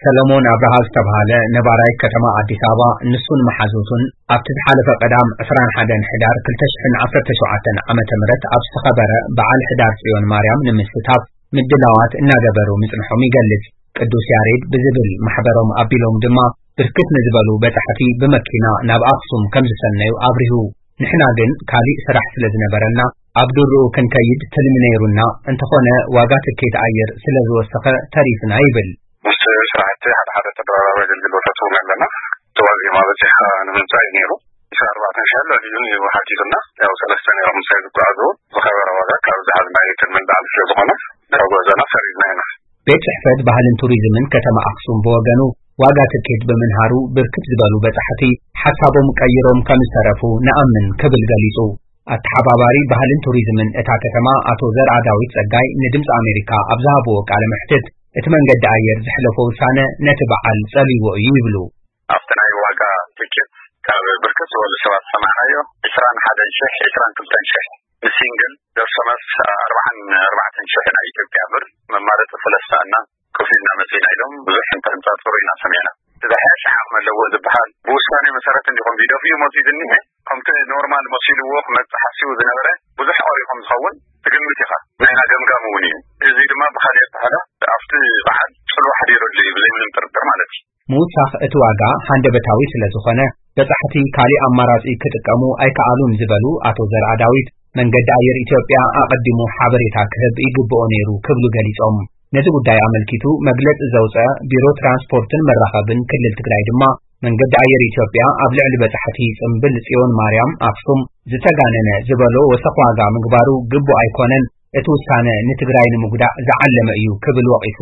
ሰለሞን ኣብርሃ ዝተብሃለ ነባራይ ከተማ ኣዲስ ኣበባ፣ ንሱን መሓዙቱን ኣብቲ ዝሓለፈ ቀዳም ዕስራን ሓደን ሕዳር ክልተ ሽሕን ዓሰርተ ሸውዓተን ዓመተ ምህረት ኣብ ዝተኸበረ በዓል ሕዳር ጽዮን ማርያም ንምስታፍ ምድላዋት እናገበሩ ምጽንሖም ይገልጽ። ቅዱስ ያሬድ ብዝብል ማሕበሮም ኣቢሎም ድማ ብርክት ንዝበሉ በጻሕቲ ብመኪና ናብ ኣኽሱም ከም ዝሰነዩ ኣብሪሁ። ንሕና ግን ካሊእ ስራሕ ስለ ዝነበረና ኣብ ድርኡ ክንከይድ ትልሚ ነይሩና፣ እንተኾነ ዋጋ ትኬት ኣየር ስለ ዝወሰኸ ተሪፍና ይብል። ምስ ስራሕቲ ሓደ ሓደ ተደራራቢ ኣገልግሎታት እውን ኣለና። እቲ ዋዜማ በጺሕካ ንምምጻእ እዩ ነይሩ። ዕስራን ኣርባዕተን ሺሕን ልዕሊኡን እዩ ሓቲቱና። ያው ሰለስተ ነይሮም ምሳይ ዝጓዓዙ። ዝኸበረ ዋጋ ካብ ዝሓዝናዮ ትልሚ ንላዕሊ ስለ ዝኾነ ድሕሪ ጉዕዞና ሰሪዝና ኢና። ቤት ጽሕፈት ባህልን ቱሪዝምን ከተማ ኣኽሱም ብወገኑ ዋጋ ትኬት ብምንሃሩ ብርክት ዝበሉ በጻሕቲ ሓሳቦም ቀይሮም ከም ዝተረፉ ንኣምን ክብል ገሊጹ። ኣተሓባባሪ ባህልን ቱሪዝምን እታ ከተማ ኣቶ ዘርኣ ዳዊት ጸጋይ ንድምጺ ኣሜሪካ ኣብ ዝሃብዎ ቃለ መሕትት እቲ መንገዲ ኣየር ዘሕለፎ ውሳነ ነቲ በዓል ጸልይዎ እዩ ይብሉ። ኣብቲ ናይ ዋጋ ትኬት ካብ ብርክት ዝበሉ ሰባት ሰማዕናዮ ዕስራን ሓደን ሺሕ፣ ዕስራን ክልተን ሺሕ ንሲንግል፣ ደርሶ መልስ ኣርባዓን ኣርባዕተን ሺሕ ናይ ኢትዮጵያ ብር መማረፂ ስለ ዝሰኣና ከፊልና መፂና ኢሎም ብዙሕ እንተንፃፅሩ ኢና ሰሚዕና። እቲ ዝሓሸ ዓቕሚ ኣለዎ ዝበሃል ብውሳኔ መሰረት እንዲኹም ቪደብዩ መፂኡ ዝኒሀ ከምቲ ኖርማል መሲልዎ ክመፅእ ሓሲቡ ዝነበረ ብዙሕ ቀሪኹም ዝኸውን ትግምት ኢኻ። ናይና ገምጋም እውን እዩ። እዚ ድማ ብኻሊእ ኣተሓሕዛ ኣብቲ በዓል ፅልዋ ሓዲሩ ኣሎ እዩ ብዘይምንም ጥርጥር ማለት እዩ። ምውሳኽ እቲ ዋጋ ሃንደበታዊ ስለ ዝኾነ በጻሕቲ ካሊእ ኣማራጺ ክጥቀሙ ኣይከኣሉን ዝበሉ ኣቶ ዘርኣ ዳዊት፣ መንገዲ ኣየር ኢትዮጵያ ኣቐዲሙ ሓበሬታ ክህብ ይግብኦ ነይሩ ክብሉ ገሊጾም። ነዚ ጉዳይ ኣመልኪቱ መግለጺ ዘውጸ ቢሮ ትራንስፖርትን መራኸብን ክልል ትግራይ ድማ መንገዲ ኣየር ኢትዮጵያ ኣብ ልዕሊ በጻሕቲ ጽምብል ጽዮን ማርያም ኣክሱም ዝተጋነነ ዝበሎ ወሰኽ ዋጋ ምግባሩ ግቡእ ኣይኮነን፣ እቲ ውሳነ ንትግራይ ንምጉዳእ ዝዓለመ እዩ ክብል ወቒሱ።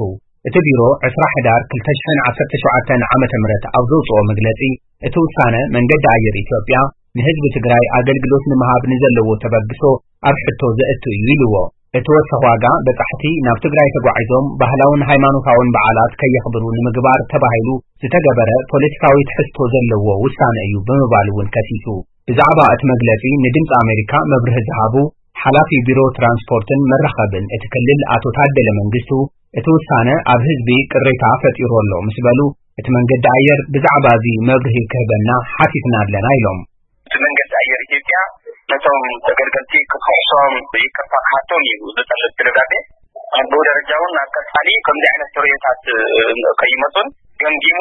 እቲ ቢሮ ዕስራ ሕዳር ክልተ ሽሕን ዓሰርተ ሸውዓተን ዓመተ ምህረት ኣብ ዘውጽኦ መግለጺ፣ እቲ ውሳነ መንገዲ ኣየር ኢትዮጵያ ንህዝቢ ትግራይ ኣገልግሎት ንምሃብ ንዘለዎ ተበግሶ ኣብ ሕቶ ዘእቱ እዩ ኢልዎ። እቲ ወሰኽ ዋጋ በጻሕቲ ናብ ትግራይ ተጓዒዞም ባህላውን ሃይማኖታውን በዓላት ከየኽብሩ ንምግባር ተባሂሉ ዝተገበረ ፖለቲካዊ ትሕዝቶ ዘለዎ ውሳነ እዩ ብምባል እውን ከሲሱ። ብዛዕባ እቲ መግለጺ ንድምጺ ኣሜሪካ መብርሂ ዝሃቡ ሓላፊ ቢሮ ትራንስፖርትን መራኸብን እቲ ክልል ኣቶ ታደለ መንግስቱ፣ እቲ ውሳነ ኣብ ህዝቢ ቅሬታ ፈጢሩ ኣሎ ምስ በሉ፣ እቲ መንገዲ ኣየር ብዛዕባ እዚ መብርሂ ክህበና ሓቲትና ኣለና ኢሎም። እቲ መንገዲ ኣየር ኢትዮጵያ ነቶም ተገልገልቲ ክኽሕሶም ይቅርታ ክሓቶም እዩ ዝጠልብ እቲ ደብዳቤ። ኣብ ደረጃ እውን ኣብ ቀጻሊ ከምዚ ዓይነት ተርእዮታት ከይመጹን ገምጊሙ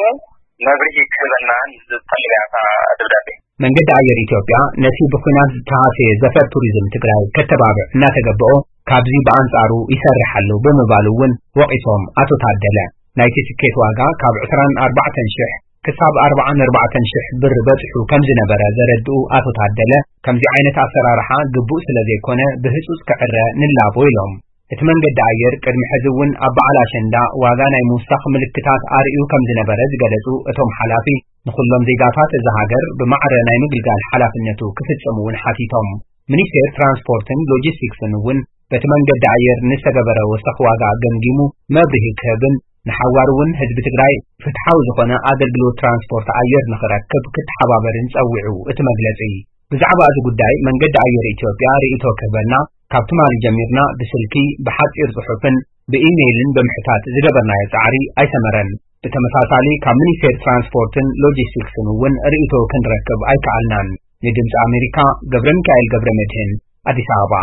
መብርሂ ክህበና ዝጠልብ እያ እታ ደብዳቤ። መንገዲ ኣየር ኢትዮጵያ ነቲ ብኲናት ዝተሃሰየ ዘፈር ቱሪዝም ትግራይ ከተባብዕ እናተገበኦ ካብዚ ብኣንጻሩ ይሰርሕ ኣሎ ብምባሉ እውን ወቒሶም ኣቶ ታደለ። ናይቲ ትኬት ዋጋ ካብ ዕስራን ኣርባዕተን ሽሕ ክሳብ ኣርባዓን ኣርባዕተን ሽሕ ብር በጺሑ ከም ዝነበረ ዘረድኡ ኣቶ ታደለ፣ ከምዚ ዓይነት ኣሰራርሓ ግቡእ ስለ ዘይኮነ ብህጹጽ ክዕረ ንላቦ ኢሎም። እቲ መንገዲ ኣየር ቅድሚ ሕዚ እውን ኣብ በዓል ኣሸንዳ ዋጋ ናይ ምውሳኽ ምልክታት ኣርእዩ ከም ዝነበረ ዝገለጹ እቶም ሓላፊ፣ ንኹሎም ዜጋታት እዛ ሃገር ብማዕረ ናይ ምግልጋል ሓላፍነቱ ክፍጽም እውን ሓቲቶም። ሚኒስቴር ትራንስፖርትን ሎጂስቲክስን እውን በቲ መንገዲ ኣየር ንዝተገበረ ወሰኽ ዋጋ ገምጊሙ መብርሂ ክህብን ንሓዋር እውን ህዝቢ ትግራይ ፍትሓዊ ዝኾነ ኣገልግሎት ትራንስፖርት ኣየር ንኽረክብ ክተሓባበርን ጸዊዑ እቲ መግለጺ። ብዛዕባ እዚ ጉዳይ መንገዲ ኣየር ኢትዮጵያ ርእይቶ ክህበና ካብ ትማሊ ጀሚርና ብስልኪ፣ ብሓጺር ጽሑፍን ብኢሜይልን ብምሕታት ዝገበርናዮ ጻዕሪ ኣይሰመረን። ብተመሳሳሊ ካብ ሚኒስቴር ትራንስፖርትን ሎጂስቲክስን እውን ርእይቶ ክንረክብ ኣይከኣልናን። ንድምፂ ኣሜሪካ ገብረ ሚካኤል ገብረ መድህን ኣዲስ ኣበባ።